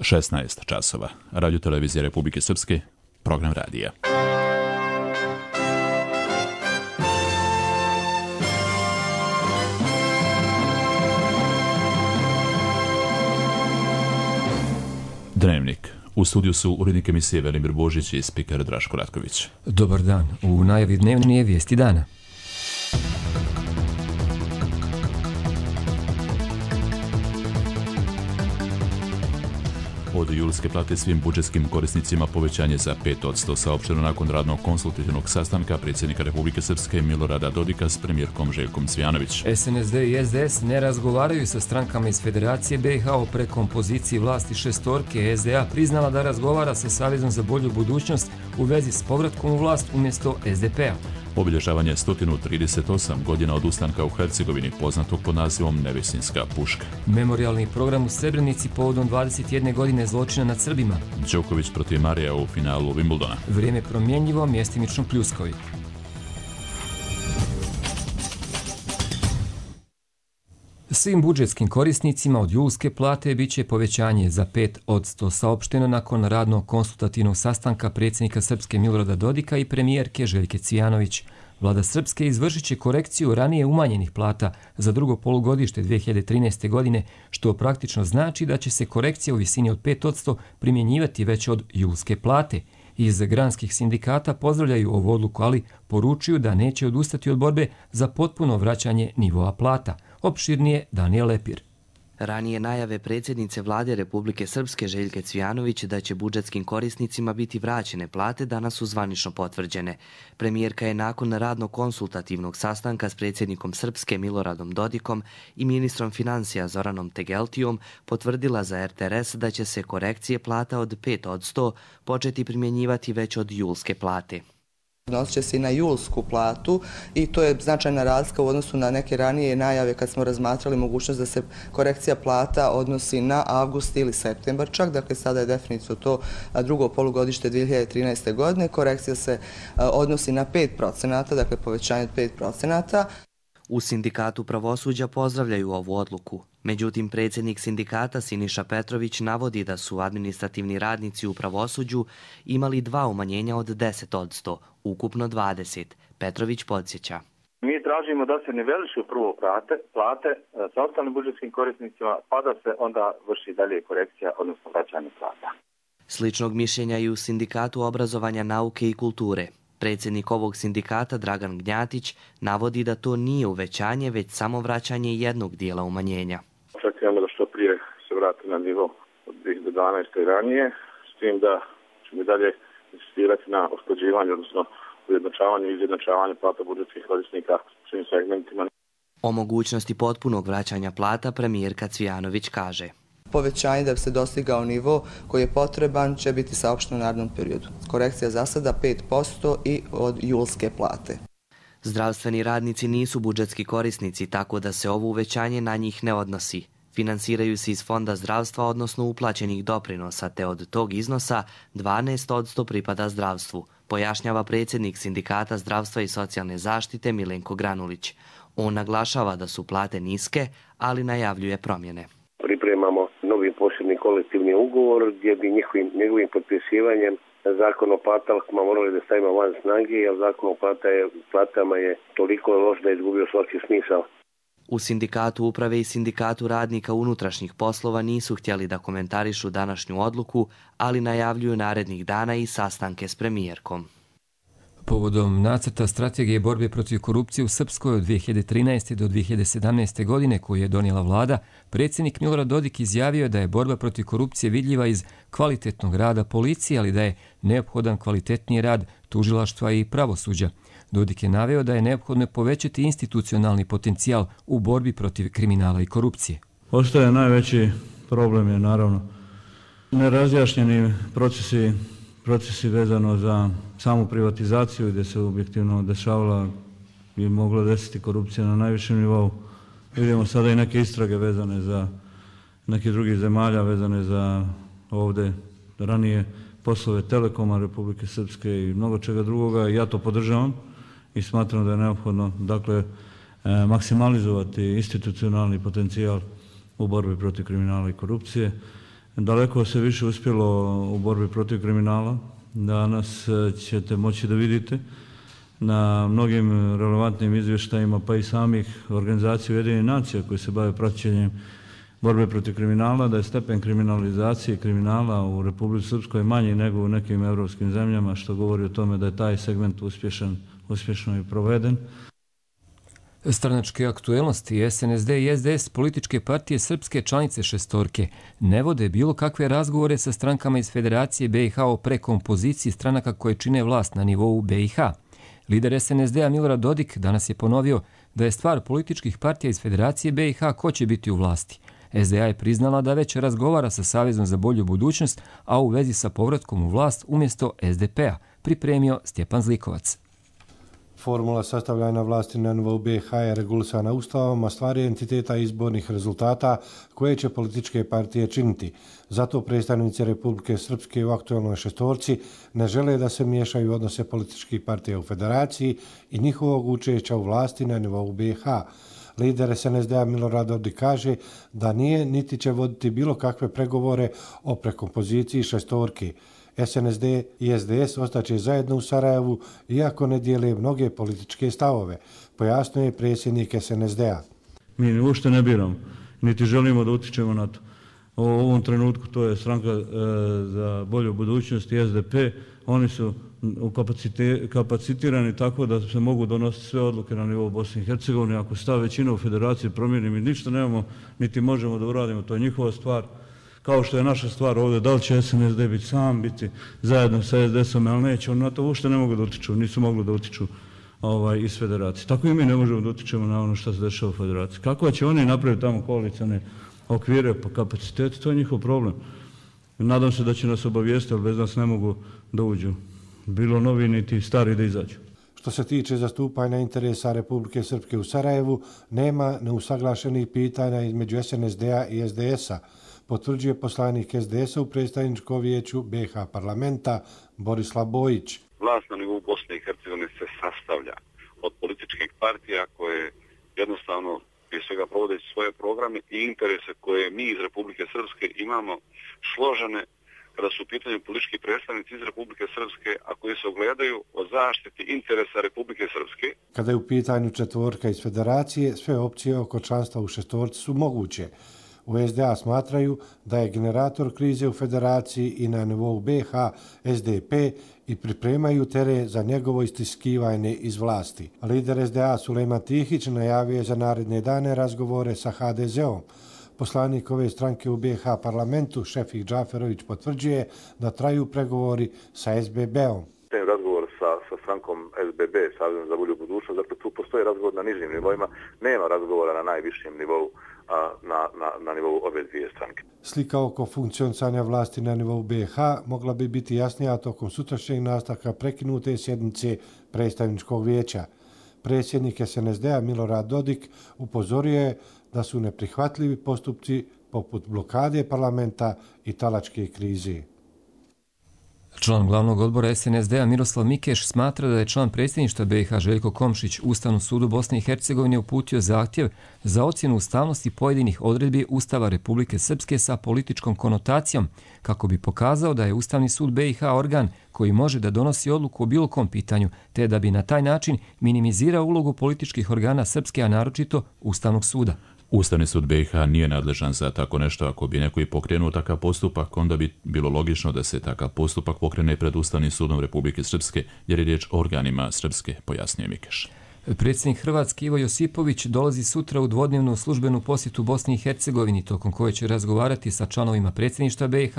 16 časova. Radio televizija Republike Srpske, program radija. Dnevnik. U studiju su urednik emisije Velimir Božić i spiker Draško Ratković. Dobar dan. U najavi dnevnije vijesti dana. Od julske plate svim budžetskim korisnicima povećanje za 5%, saopšteno nakon radnog konsultativnog sastanka predsjednika Republike Srpske Milorada Dodika s premijerkom Željkom Cvijanović. SNSD i SDS ne razgovaraju sa strankama iz Federacije BiH o prekompoziciji vlasti šestorke. SDA priznala da razgovara sa Savezom za bolju budućnost u vezi s povratkom u vlast umjesto SDP-a. Obilježavanje 138 godina od ustanka u Hercegovini, poznatog pod nazivom Nevesinska puška. Memorijalni program u Srebrenici povodom 21 godine zločina nad Srbima. Đoković protiv Marija u finalu Wimbledona. Vrijeme promjenjivo, mjestimično pljuskovi. Svim budžetskim korisnicima od julske plate bit će povećanje za 5%, saopšteno nakon radnog konsultativnog sastanka predsjednika Srpske Milorada Dodika i premijerke Željke Cvijanović. Vlada Srpske izvršit će korekciju ranije umanjenih plata za drugo polugodište 2013. godine, što praktično znači da će se korekcija u visini od 5% primjenjivati već od julske plate. Iz granskih sindikata pozdravljaju ovu odluku, ali poručuju da neće odustati od borbe za potpuno vraćanje nivoa plata. Opširnije Danijel Lepir. Ranije najave predsjednice vlade Republike Srpske Željke Cvijanović da će budžetskim korisnicima biti vraćene plate danas su zvanično potvrđene. Premijerka je nakon radnog konsultativnog sastanka s predsjednikom Srpske Miloradom Dodikom i ministrom financija Zoranom Tegeltijom potvrdila za RTRS da će se korekcije plata od 5% početi primjenjivati već od julske plate. Odnosit će se i na julsku platu i to je značajna razlika u odnosu na neke ranije najave kad smo razmatrali mogućnost da se korekcija plata odnosi na avgust ili septembar čak, dakle sada je definitivno to drugo polugodište 2013. godine. Korekcija se odnosi na 5%, dakle povećanje od 5%. U sindikatu pravosuđa pozdravljaju ovu odluku. Međutim, predsjednik sindikata Siniša Petrović navodi da su administrativni radnici u pravosuđu imali dva umanjenja od 10%, ukupno 20%. Petrović podsjeća. Mi tražimo da se nivelišu prvo plate sa ostalim budžetskim korisnicima, pa da se onda vrši dalje korekcija, odnosno vraćanje plata. Sličnog mišljenja i u sindikatu obrazovanja, nauke i kulture. Predsjednik ovog sindikata Dragan Gnjatić navodi da to nije uvećanje, već samo vraćanje jednog dijela umanjenja. Očekujemo da što prije se vrati na nivo od 2012. i ranije, s tim da ćemo dalje insistirati na usklađivanju, odnosno ujednačavanju i izjednačavanju plata budžetskih korisnika u svim segmentima. O mogućnosti potpunog vraćanja plata premijerka Cvijanović kaže. Povećanje da bi se dostigao nivo koji je potreban će biti saopšteno u narednom periodu. Korekcija za sada 5% i od julske plate. Zdravstveni radnici nisu budžetski korisnici, tako da se ovo uvećanje na njih ne odnosi. Finansiraju se iz Fonda zdravstva, odnosno uplaćenih doprinosa, te od tog iznosa 12% pripada zdravstvu, pojašnjava predsjednik sindikata zdravstva i socijalne zaštite Milenko Granulić. On naglašava da su plate niske, ali najavljuje promjene. Pripremamo novi posebni kolektivni ugovor gdje bi njegovim potpisivanjem zakon o platama morali da stavimo van snage, jer zakon o platama je toliko loš da je izgubio svaki smisao. U sindikatu uprave i sindikatu radnika unutrašnjih poslova nisu htjeli da komentarišu današnju odluku, ali najavljuju narednih dana i sastanke s premijerkom. Povodom nacrta strategije borbe protiv korupcije u Srpskoj od 2013. do 2017. godine koju je donijela vlada, predsjednik Milorad Dodik izjavio da je borba protiv korupcije vidljiva iz kvalitetnog rada policije, ali da je neophodan kvalitetniji rad tužilaštva i pravosuđa. Dodik je naveo da je neophodno povećati institucionalni potencijal u borbi protiv kriminala i korupcije. Ostaje najveći problem je naravno nerazjašnjeni procesi vezano za samu privatizaciju gdje se objektivno dešavala i mogla desiti korupcija na najvišem nivou. Vidimo sada i neke istrage vezane za neke drugih zemalja, vezane za ovdje ranije poslove Telekoma Republike Srpske i mnogo čega drugoga. Ja to podržavam i smatram da je neophodno maksimalizovati institucionalni potencijal u borbi protiv kriminala i korupcije. Daleko se više uspjelo u borbi protiv kriminala. Danas ćete moći da vidite na mnogim relevantnim izvještajima, pa i samih organizacija Ujedinjenih nacija koji se bave praćenjem borbe protiv kriminala, da je stepen kriminalizacije kriminala u Republici Srpskoj manji nego u nekim evropskim zemljama, što govori o tome da je taj segment uspješno i proveden. Stranačke aktuelnosti SNSD i SDS, političke partije srpske članice šestorke, ne vode bilo kakve razgovore sa strankama iz Federacije BiH o prekompoziciji stranaka koje čine vlast na nivou BiH. Lider SNSD-a Milorad Dodik danas je ponovio da je stvar političkih partija iz Federacije BiH ko će biti u vlasti. SDA je priznala da već razgovara sa Savezom za bolju budućnost, a u vezi sa povratkom u vlast umjesto SDP-a, pripremio Stjepan Zlikovac. Formula sastavljanja vlasti na nivou BiH je regulisana Ustavom, a stvar je entiteta izbornih rezultata koje će političke partije činiti. Zato predstavnici Republike Srpske u aktuelnoj šestorci ne žele da se miješaju odnose političkih partija u federaciji i njihovog učešća u vlasti na nivou BiH. Lider SNSD-a Milorad Dodik kaže da nije niti će voditi bilo kakve pregovore o prekompoziciji šestorke. SNSD i SDS ostaće zajedno u Sarajevu, iako ne dijele mnoge političke stavove, pojasnio je predsjednik SNSD-a. Mi uopšte ne biramo, niti želimo da utičemo na to. U ovom trenutku to je stranka za bolju budućnost i SDP. Oni su kapacitirani tako da se mogu donositi sve odluke na nivou Bosne i Hercegovine. Ako se ta većina u federaciji promijeni, mi ništa nemamo, niti možemo da uradimo, to je njihova stvar. Kao što je naša stvar ovdje, da li će SNSD biti zajedno sa SDS-om, ali neće, oni na to uopšte ne mogu da utiču, nisu mogli da utiču iz federacije. Tako i mi ne možemo da utičemo na ono što se dešava u federaciji. Kako će oni napraviti tamo koalicione okvire po kapacitetu, to je njihov problem. Nadam se da će nas obavijestiti, ali bez nas ne mogu da uđu. Bilo novi, niti stari da izađu. Što se tiče zastupanja interesa Republike Srpske u Sarajevu, nema neusaglašenih pitanja između SNSD-a i SDS-a, potvrđuje poslanik SDS-a u predstavničkom vijeću BiH parlamenta Borislav Bojić. Vlast na nivou Bosne i Hercegovine se sastavlja od političkih partija koje jednostavno prije svega provodeći svoje programe i interese koje mi iz Republike Srpske imamo složene kada su u pitanju politički predstavnici iz Republike Srpske, a koji se ogledaju o zaštiti interesa Republike Srpske. Kada je u pitanju četvorka iz federacije, sve opcije oko članstva u šestorci su moguće. U SDA smatraju da je generator krize u federaciji i na nivou BiH SDP i pripremaju teren za njegovo istiskivanje iz vlasti. Lider SDA Sulejman Tihić najavio je za naredne dane razgovore sa HDZ-om. Poslanik ove stranke u BiH parlamentu Šefik Džaferović potvrđuje da traju pregovori sa SBB-om. Razgovor sa strankom SBB, Savezom za bolju budućnost, dakle tu postoji razgovor na nižim nivoima, nema razgovora na najvišem nivou, na nivou obe dvije stranke. Slika oko funkcionisanja vlasti na nivou BiH mogla bi biti jasnija tokom sutrašnjeg nastavka prekinute sjednice predstavničkog vijeća. Predsjednik SNSD-a Milorad Dodik upozorio je da su neprihvatljivi postupci poput blokade parlamenta i talačke krize. Član glavnog odbora SNSD-a Miroslav Mikeš smatra da je član predsjedništva BiH Željko Komšić Ustavnom sudu Bosne i Hercegovine uputio zahtjev za ocjenu ustavnosti pojedinih odredbi Ustava Republike Srpske sa političkom konotacijom, kako bi pokazao da je Ustavni sud BiH organ koji može da donosi odluku o bilo kom pitanju, te da bi na taj način minimizirao ulogu političkih organa Srpske, a naročito Ustavnog suda. Ustavni sud BiH nije nadležan za tako nešto. Ako bi neko i pokrenuo takav postupak, onda bi bilo logično da se takav postupak pokrene pred Ustavnim sudom Republike Srpske, jer je riječ o organima Srpske, pojasnio Mikeš. Predsjednik Hrvatske Ivo Josipović dolazi sutra u dvodnevnu službenu posjetu Bosni i Hercegovini, tokom koje će razgovarati sa članovima predsjedništva BiH,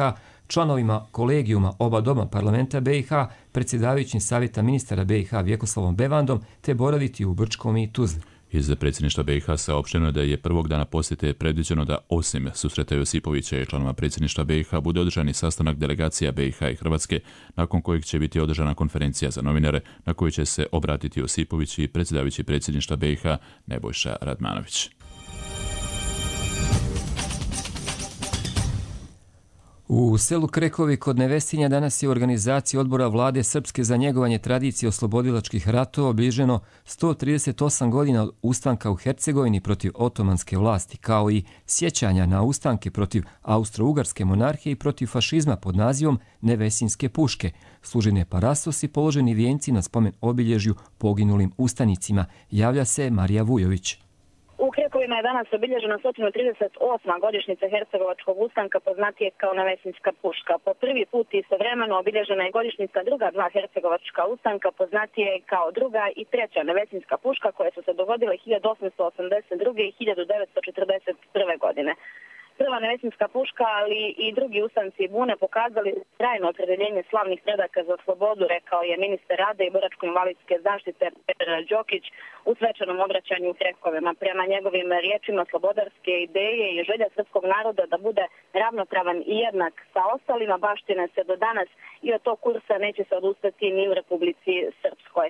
članovima kolegijuma oba doma parlamenta BiH, predsjedavajućim savjeta ministara BiH Vjekoslavom Bevandom, te boraviti u Brčkom i Tuzli. Iz predsjedništva BiH saopšteno je da je prvog dana posjete predviđeno da osim susreta Josipovića i članova predsjedništva BiH bude održan i sastanak delegacija BiH i Hrvatske, nakon kojeg će biti održana konferencija za novinare na kojoj će se obratiti Josipović i predsjedavajući predsjedništva BiH Nebojša Radmanović. U selu Krekovi kod Nevesinja danas je u organizaciji odbora vlade Srpske za njegovanje tradicije oslobodilačkih ratova obilježeno 138 godina od ustanka u Hercegovini protiv otomanske vlasti, kao i sjećanja na ustanke protiv Austro-Ugarske monarhije i protiv fašizma pod nazivom Nevesinjske puške, služene parastosi, položeni vijenci na spomen obilježju poginulim ustanicima, javlja se Marija Vujović. U Krekovima je danas obilježena 138. godišnjica Hercegovačkog ustanka, poznatije kao Nevesinjska puška. Po prvi put istovremeno obilježena je godišnjica druga dva Hercegovačka ustanka, poznatije kao druga i treća Nevesinjska puška, koje su se dogodile 1882. i 1941. godine. Prva Nevesinjska puška, ali i drugi ustanci bune pokazali trajno opredjeljenje slavnih predaka za slobodu, rekao je ministar rada i boračko-invalidske zaštite Petar Đokić u svečanom obraćanju u Krekovima. Prema njegovim riječima, slobodarske ideje i želja srpskog naroda da bude ravnopravan i jednak sa ostalima baštine se do danas i od tog kursa neće se odustati ni u Republici Srpskoj.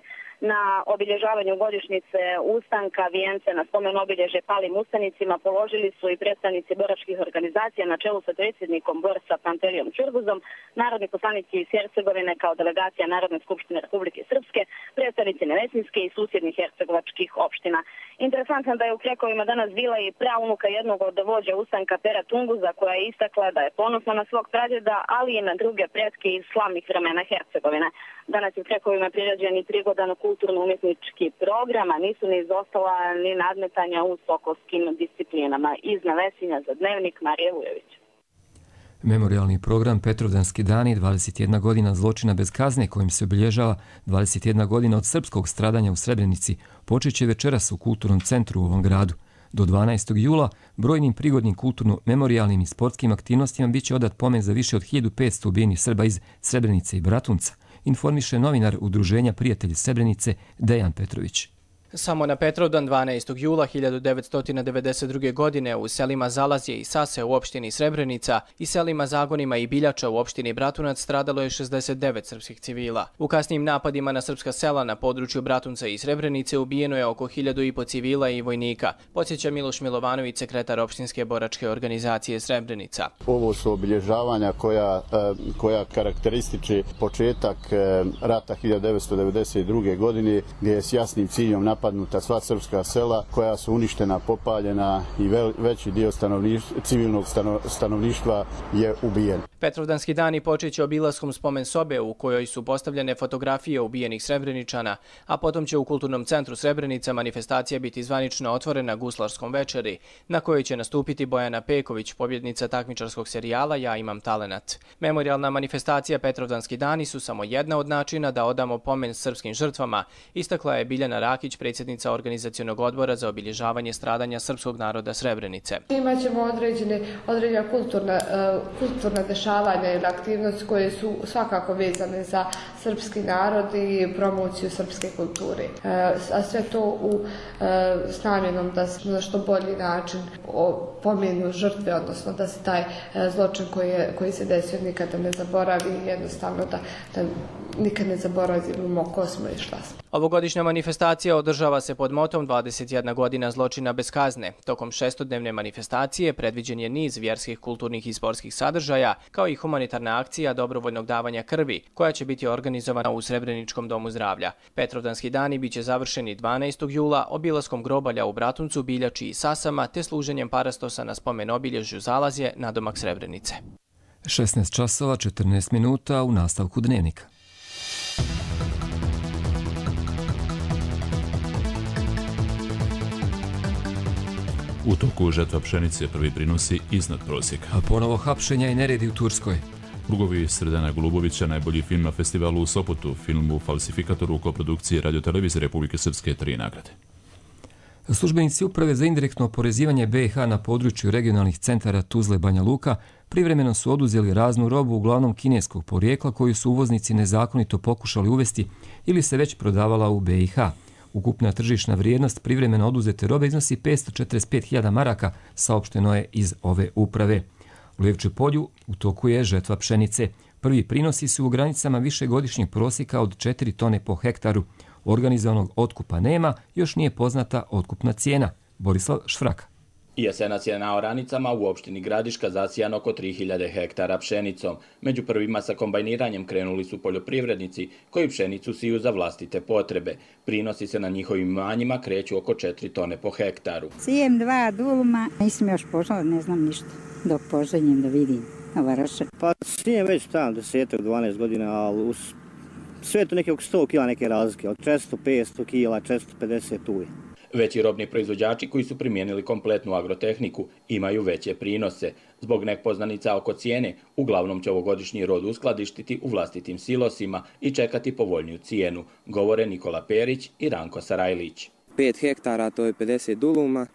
Na obilježavanju godišnjice ustanka vijence na spomen obilježje palim ustanicima položili su i predstavnici boračkih organizacija na čelu sa predsjednikom borca Panterijom Čurguzom, narodni poslanici iz Hercegovine kao delegacija Narodne skupštine Republike Srpske, predstavnici Nevesinjske i susjednih hercegovačkih opština. Interesantno da je u Krekovima danas bila i praunuka jednog od vođa ustanka Pera Tunguza, koja je istakla da je ponosna na svog pradjeda, ali i na druge pretke iz slavnih vremena Hercegovine. Danas je u Krekovima priređen i prigodan kulturno-umjetnički program, a nisu ni izostala ni nadmetanja u sokolskim disciplinama. Iz Nevesinja za Dnevnik, Marija Vujović. Memorijalni program Petrovdanski dani, 21 godina zločina bez kazne, kojim se obilježava 21 godina od srpskog stradanja u Srebrenici, počet će večeras u Kulturnom centru u ovom gradu. Do 12. jula brojnim prigodnim kulturno-memorijalnim i sportskim aktivnostima bit će odat pomen za više od 1500 ubijenih Srba iz Srebrenice i Bratunca, informiše novinar Udruženja Prijatelji Srebrenice Dejan Petrović. Samo na Petrovdan 12. jula 1992. godine u selima Zalazje i Sase u opštini Srebrenica i selima Zagonima i Biljača u opštini Bratunac stradalo je 69 srpskih civila. U kasnijim napadima na srpska sela na području Bratunca i Srebrenice ubijeno je oko 1500 civila i vojnika, podsjeća Miloš Milovanović, sekretar opštinske boračke organizacije Srebrenica. Ovo su obilježavanja koja karakterističi početak rata 1992. godine, gdje je s jasnim ciljom napadnuta sva srpska sela koja su uništena, popaljena i veći dio civilnog stanovništva je ubijen. Petrovdanski dani počeće obilaskom spomen sobe u kojoj su postavljene fotografije ubijenih Srebreničana, a potom će u Kulturnom centru Srebrenica manifestacija biti zvanično otvorena guslarskom večeri, na kojoj će nastupiti Bojana Peković, pobjednica takmičarskog serijala Ja imam talenat. Memorijalna manifestacija Petrovdanski dani su samo jedna od načina da odamo pomen srpskim žrtvama, istakla je Biljana Rakić, predsjednica organizacionog odbora za obilježavanje stradanja srpskog naroda Srebrenice. Imaćemo određena kulturna dešavanja ili aktivnosti koje su svakako vezane za srpski narod i promociju srpske kulture. A sve to s namjenom da se na što bolji način pomenu žrtve, odnosno da se taj zločin koji se desio nikada ne zaboravi, jednostavno da nikad ne zaboravimo ko smo i šta smo. Ovogodišnja manifestacija održava se pod motom 21 godina zločina bez kazne. Tokom šestodnevne manifestacije predviđen je niz vjerskih, kulturnih i sportskih sadržaja, kao i humanitarna akcija dobrovoljnog davanja krvi, koja će biti organizovana u Srebreničkom domu zdravlja. Petrovdanski dani biće završeni 12. jula obilaskom grobalja u Bratuncu, Biljači i Sasama, te služenjem parastosa na spomen obilježju Zalazje na domak Srebrenice. 16 časova 14 minuta u nastavku Dnevnika. U toku žetva pšenice prvi prinosi iznad prosjeka. A ponovo hapšenja i neredi u Turskoj. Lugovi Sredana Golubovića, najbolji film na festivalu u Sopotu, filmu Falsifikatoru u koprodukciji Radio-televizije Republike Srpske, 3 nagrade. Službenici Uprave za indirektno oporezivanje BiH na području regionalnih centara Tuzle Banja Luka privremeno su oduzeli raznu robu, uglavnom kineskog porijekla, koju su uvoznici nezakonito pokušali uvesti ili se već prodavala u BiH. Ukupna tržišna vrijednost privremeno oduzete robe iznosi 545.000 maraka, saopšteno je iz ove uprave. U Livče polju u toku je žetva pšenice. Prvi prinosi su u granicama višegodišnjeg prosjeka od 4 tone po hektaru. Organizovanog otkupa nema, još nije poznata otkupna cijena. Borislav Švraka. Jesenas je na oranicama u opštini Gradiška zasijan oko 3000 hektara pšenicom. Među prvima sa kombajniranjem krenuli su poljoprivrednici koji pšenicu siju za vlastite potrebe. Prinosi se na njihovim imanjima kreću oko 4 tone po hektaru. Sijem 2 duluma, nisam još požela, ne znam ništa, dok poženjem da vidim. Pa sijem već tam 10-12 godina, ali sve to neke oko 100 kila neke razlike, od 400-500 kila, 450 uje. Veći robni proizvođači koji su primijenili kompletnu agrotehniku imaju veće prinose. Zbog nepoznanica oko cijene, uglavnom će ovogodišnji rod uskladištiti u vlastitim silosima i čekati povoljniju cijenu, govore Nikola Perić i Ranko Sarajlić. 5 hektara, to je 50 duluma,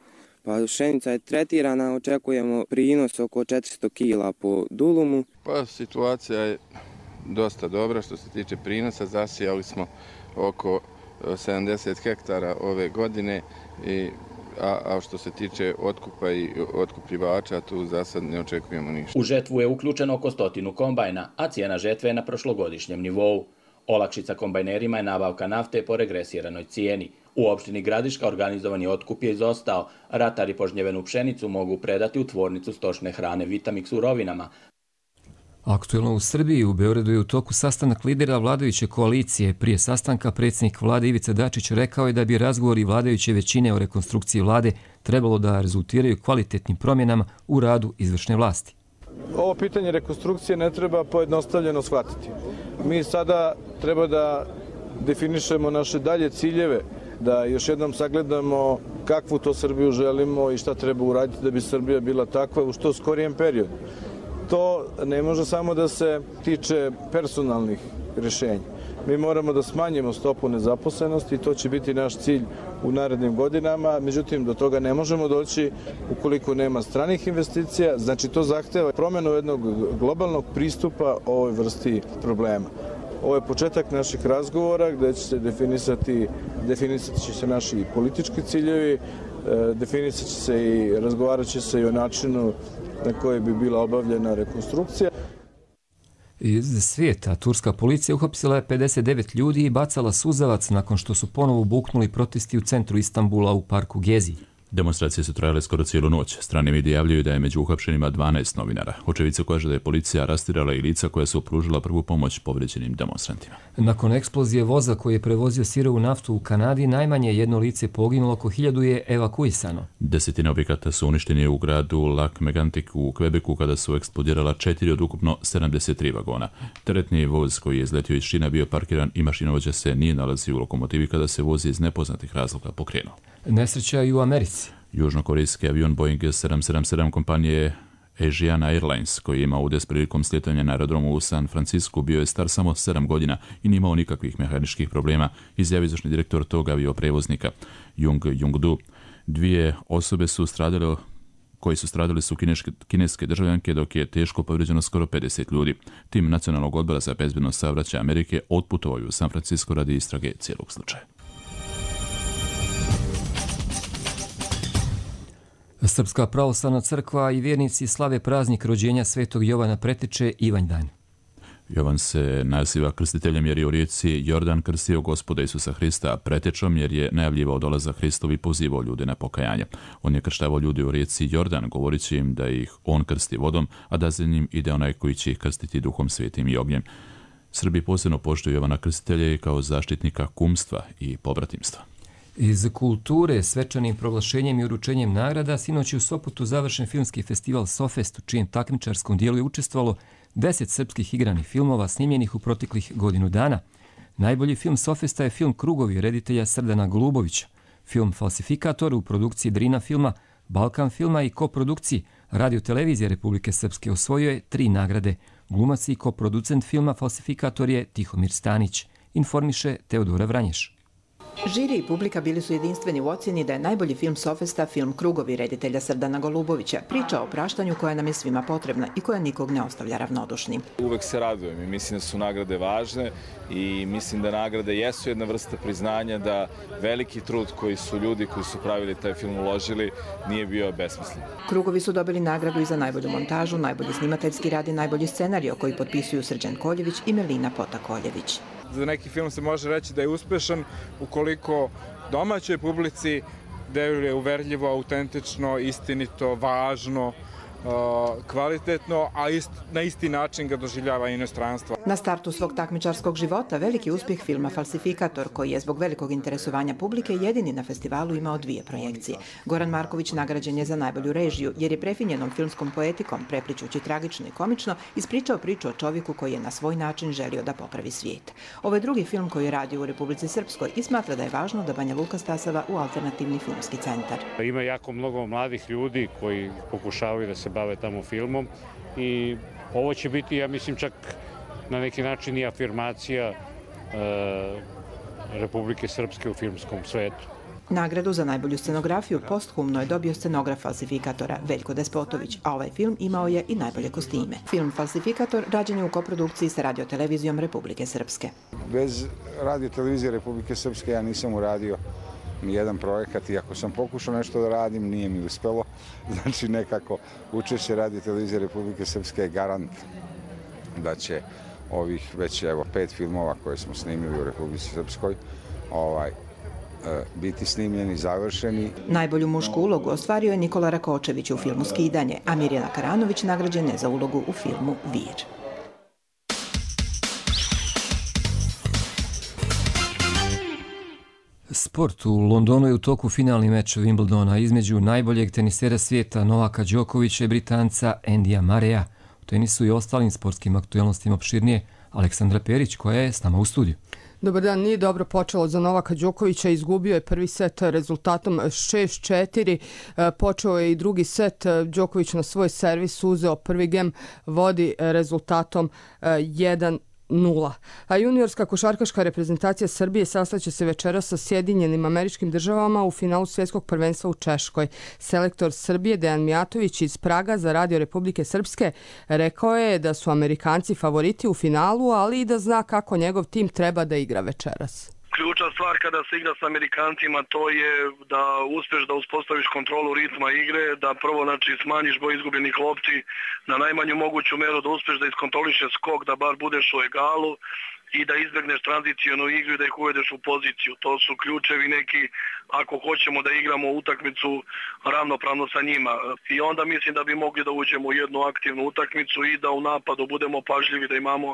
pa pšenica je tretirana, očekujemo prinos oko 400 kila po dulumu. Pa situacija je dosta dobra što se tiče prinosa, zasijali smo oko 70 hektara ove godine, a što se tiče otkupa i otkupljivača, tu za sad ne očekujemo ništa. U žetvu je uključeno oko 100 kombajna, a cijena žetve je na prošlogodišnjem nivou. Olakšica kombajnerima je nabavka nafte po regresiranoj cijeni. U opštini Gradiška organizovani otkup je izostao. Ratari požnjevenu pšenicu mogu predati u tvornicu stočne hrane Vitamix u Rovinama. Aktuelno u Srbiji, u Beogradu je u toku sastanak lidera vladajuće koalicije. Prije sastanka predsjednik vlade Ivica Dačić rekao je da bi razgovori vladajuće većine o rekonstrukciji vlade trebalo da rezultiraju kvalitetnim promjenama u radu izvršne vlasti. Ovo pitanje rekonstrukcije ne treba pojednostavljeno shvatiti. Mi sada treba da definišemo naše dalje ciljeve, da još jednom sagledamo kakvu to Srbiju želimo i šta treba uraditi da bi Srbija bila takva u što skorijem periodu. To ne može samo da se tiče personalnih rješenja. Mi moramo da smanjimo stopu nezaposlenosti i to će biti naš cilj u narednim godinama. Međutim, do toga ne možemo doći ukoliko nema stranih investicija. Znači, to zahteva promjenu jednog globalnog pristupa ovoj vrsti problema. Ovo je početak naših razgovora gdje će se definisati će se naši politički ciljevi, definisat će se i razgovarat će se i o načinu na koji bi bila obavljena rekonstrukcija. Iz svijeta, turska policija uhapsila je 59 ljudi i bacala suzavac nakon što su ponovo buknuli protesti u centru Istanbula u parku Gezi. Demonstracije su trajale skoro cijelu noć. Strani mediji javljaju da je među uhapšenima 12 novinara. Očevice kaže da je policija rastirala i lica koja su pružila prvu pomoć povrijeđenim demonstrantima. Nakon eksplozije voza koji je prevozio sirovu naftu u Kanadi, najmanje jedno lice poginulo, oko 1000 je evakuisano. 10 objekata su uništeni u gradu Lac-Mégantic u Quebecu kada su eksplodirala 4 od ukupno 73 vagona. Teretni voz koji je izletio iz šina bio parkiran i mašinovođa se nije nalazio u lokomotivi kada se voz iz nepoznatih razloga pokrenuo. Nesreća i u Americi. Južnokorejski avion Boeing 777 kompanije Asiana Airlines, koji je imao udes prilikom slijetanja na aerodromu u San Francisku, bio je star samo 7 godina i nije imao nikakvih mehaničkih problema, izjavio izvršni direktor tog avioprevoznika Jung Jung-du. 2 osobe koji su stradali su kineske državljanke, dok je teško povrijeđeno skoro 50 ljudi. Tim Nacionalnog odbora za bezbednost saobraćaja Amerike otputovao u San Francisco radi istrage cijelog slučaja. Srpska pravoslavna crkva i vjernici slave praznik rođenja svetog Jovana Preteče Ivanjdan. Jovan se naziva krstiteljem jer je u rijeci Jordan krstio Gospoda Isusa Hrista, pretečom jer je najavljivao dolazak Hristov i pozivao ljude na pokajanje. On je krštavao ljude u rijeci Jordan, govoreći im da ih on krsti vodom, a da za njim ide onaj koji će ih krstiti Duhom Svetim i ognjem. Srbi posebno poštuju Jovana Krstitelja kao zaštitnika kumstva i pobratimstva. Iz kulture, svečanim proglašenjem i uručenjem nagrada, sinoć je u Sopotu završen filmski festival Sofest, u čijem takmičarskom dijelu je učestvovalo 10 srpskih igranih filmova snimljenih u proteklih godinu dana. Najbolji film Sofesta je film Krugovi reditelja Srdana Golubovića. Film Falsifikator u produkciji Drina filma, Balkan filma i koprodukciji Radio-televizije Republike Srpske osvojio je 3 nagrade. Glumac i koproducent filma Falsifikator je Tihomir Stanić, informiše Teodora Vranješ. Žiri i publika bili su jedinstveni u ocjeni da je najbolji film Sofesta film Krugovi reditelja Srdana Golubovića, priča o praštanju koja nam je svima potrebna i koja nikog ne ostavlja ravnodušnim. Uvek se radujem i mislim da su nagrade važne i mislim da nagrade jesu jedna vrsta priznanja da veliki trud koji su ljudi koji su pravili taj film uložili nije bio besmislen. Krugovi su dobili nagradu i za najbolju montažu, najbolji snimateljski rad i najbolji scenario koji potpisuju Srđan Koljević i Melina Pota-Koljević. Za neki film se može reći da je uspešan ukoliko domaćoj publici deluje uverljivo, autentično, istinito, važno, kvalitetno, a na isti način ga doživljava inostranstvo. Na startu svog takmičarskog života veliki uspjeh filma Falsifikator, koji je zbog velikog interesovanja publike jedini na festivalu imao 2 projekcije. Goran Marković nagrađen je za najbolju režiju, jer je prefinjenom filmskom poetikom, prepličući tragično i komično, ispričao priču o čovjeku koji je na svoj način želio da popravi svijet. Ovo je drugi film koji radi u Republici Srpskoj i smatra da je važno da Banja Luka stasava u alternativni filmski centar. Ima jako mnogo mladih ljudi koji pokušavaju da se bave tamo filmom i ovo će biti, ja mislim, čak na neki način i afirmacija Republike Srpske u filmskom svetu. Nagradu za najbolju scenografiju posthumno je dobio scenograf Falsifikatora Veljko Despotović, a ovaj film imao je i najbolje kostime. Film Falsifikator rađen je u koprodukciji sa radiotelevizijom Republike Srpske. Bez radiotelevizije Republike Srpske ja nisam uradio nijedan projekat i ako sam pokušao nešto da radim, nije mi uspelo. Znači nekako učešće radiotelevizije Republike Srpske je garant da će ovih već 5 filmova koje smo snimili u Republici Srpskoj biti snimljeni, završeni. Najbolju mušku ulogu ostvario je Nikola Rakočević u filmu Skidanje, a Mirjana Karanović nagrađen je za ulogu u filmu Vir. Sport. U Londonu je u toku finalni meč Wimbledona između najboljeg tenisera svijeta Novaka Đokovića i Britanca Andyja Murraya. U tenisu i ostalim sportskim aktualnostima opširnije Aleksandra Perić, koja je s nama u studiju. Dobar dan, nije dobro počelo za Novaka Đokovića, izgubio je prvi set rezultatom 6-4, počeo je i drugi set, Đoković na svoj servis uzeo prvi gem, vodi rezultatom 1-0. A juniorska košarkaška reprezentacija Srbije sastaće se večeras sa Sjedinjenim Američkim Državama u finalu svjetskog prvenstva u Češkoj. Selektor Srbije Dejan Mijatović iz Praga za Radio Republike Srpske rekao je da su Amerikanci favoriti u finalu, ali i da zna kako njegov tim treba da igra večeras. Ključna stvar kada se igra s Amerikancima to je da uspješ da uspostaviš kontrolu ritma igre, da prvo smanjiš broj izgubljenih lopti na najmanju moguću meru, da uspješ da iskontrolišeš skok, da bar budeš u egalu i da izbjegneš tranzicijonu igru i da ih uvedeš u poziciju. To su ključevi neki ako hoćemo da igramo utakmicu ravnopravno sa njima. I onda mislim da bi mogli da uđemo u jednu aktivnu utakmicu i da u napadu budemo pažljivi, da imamo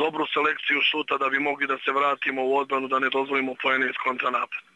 dobru selekciju šuta da bi mogli da se vratimo u odbranu, da ne dozvolimo poene iz kontranapada.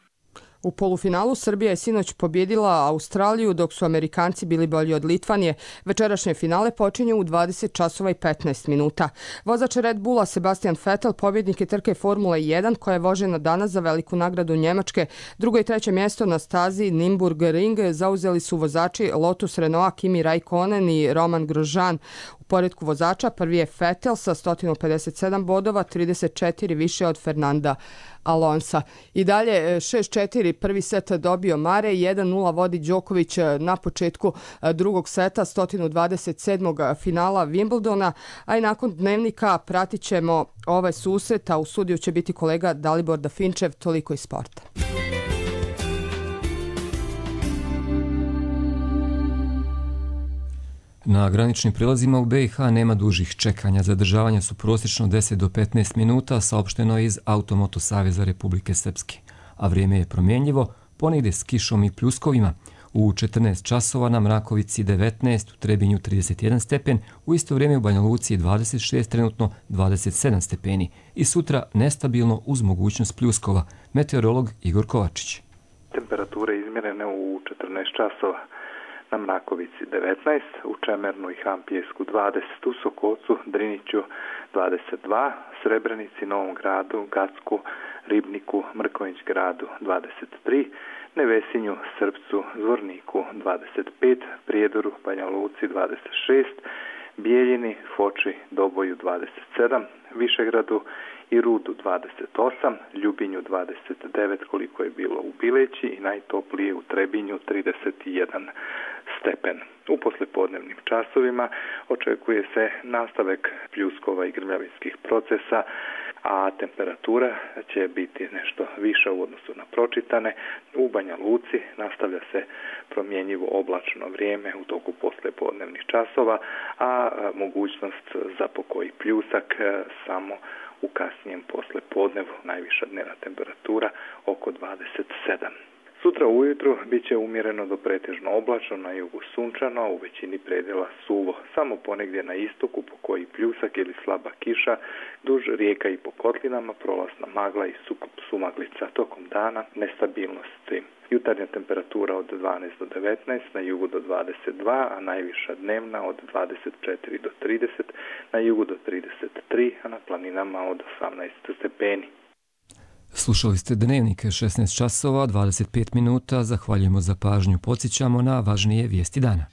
U polufinalu Srbija je sinoć pobjedila Australiju, dok su Amerikanci bili bolji od Litvanije. Večerašnje finale počinje u 20 časova i 15 minuta. Vozač Red Bulla Sebastian Vettel pobjednik je trke Formule 1 koja je vožena danas za veliku nagradu Njemačke. Drugo i treće mjesto na stazi Nürburgring zauzeli su vozači Lotus Renaulta Kimi Raikkonen i Roman Grosjean. U poredku vozača prvi je Vettel sa 157 bodova, 34 više od Fernanda Alonsa. I dalje 6-4 prvi set dobio Murray, 1-0 vodi Đoković na početku drugog seta 127. finala Wimbledona, a i nakon dnevnika pratit ćemo ovaj susret, a u studiju će biti kolega Dalibor Dafinčev. Toliko iz sporta. Na graničnim prilazima u BiH nema dužih čekanja. Zadržavanja su prosječno 10 do 15 minuta, saopšteno je iz Automoto Saveza Republike Srpske. A vrijeme je promjenljivo, ponegdje s kišom i pljuskovima. U 14 časova na Mrakovici 19, u Trebinju 31 stepen, u isto vrijeme u Banja Luci 26, trenutno 27 stepeni. I sutra nestabilno uz mogućnost pljuskova. Meteorolog Igor Kovačić. Temperature izmjerene u 14 časova. Na Mrakovici 19, u Čemernu i Hampijesku 20, u Sokocu, Driniću 22, Srebrenici, Novom Gradu, Gacku, Ribniku, Mrkonjić Gradu 23, Nevesinju, Srpcu, Zvorniku 25, Prijedoru, Banja Luci 26, Bijeljini, Foči, Doboju 27, Višegradu i Rudu 28, Ljubinju 29 koliko je bilo u Bileći i najtoplije u Trebinju 31 stepen. U poslijepodnevnim časovima očekuje se nastavak pljuskova i grmljavinskih procesa, a temperatura će biti nešto viša u odnosu na pročitane. U Banja Luci nastavlja se promjenjivo oblačno vrijeme u toku poslijepodnevnih časova, a mogućnost za pokoji pljusak samo u kasnijem poslijepodnevu, najviša dnevna temperatura oko 27. Sutra ujutru bit će umjereno do pretežno oblačno, na jugu sunčano, u većini predjela suvo. Samo ponegdje na istoku po koji pljusak ili slaba kiša, duž rijeka i po kotlinama prolazna magla i sumaglica. Tokom dana nestabilnosti. Jutarnja temperatura od 12 do 19, na jugu do 22, a najviša dnevna od 24 do 30, na jugu do 33, a na planinama od 18 stepeni. Slušali ste Dnevnik 16 časova, 25 minuta. Zahvaljujemo za pažnju. Podsjećamo na važnije vijesti dana.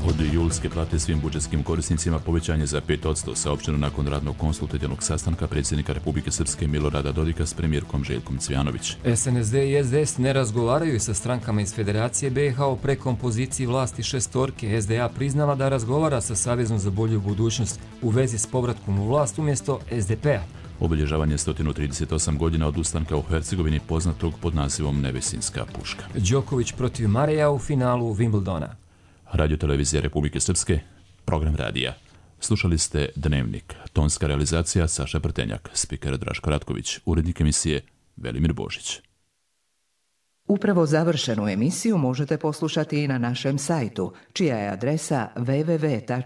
Od julske plate svim budžetskim korisnicima povećanje za 5% saopšteno nakon radnog konsultativnog sastanka predsjednika Republike Srpske Milorada Dodika s premijerkom Željkom Cvijanović. SNSD i SDS ne razgovaraju sa strankama iz Federacije BiH o prekompoziciji vlasti šestorke. SDA priznala da razgovara sa Savezom za bolju budućnost u vezi s povratkom u vlast umjesto SDP-a. Obilježavanje 138 godina od ustanka u Hercegovini poznatog pod nazivom Nevesinska puška. Đoković protiv Mareja u finalu Wimbledona. Radio televizija Republike Srpske, program radija. Slušali ste Dnevnik, tonska realizacija Saša Prtenjak, spiker Draško Ratković, urednik emisije Velimir Božić. Upravo završenu emisiju možete poslušati i na našem sajtu, čija je adresa www.rtrs.tv.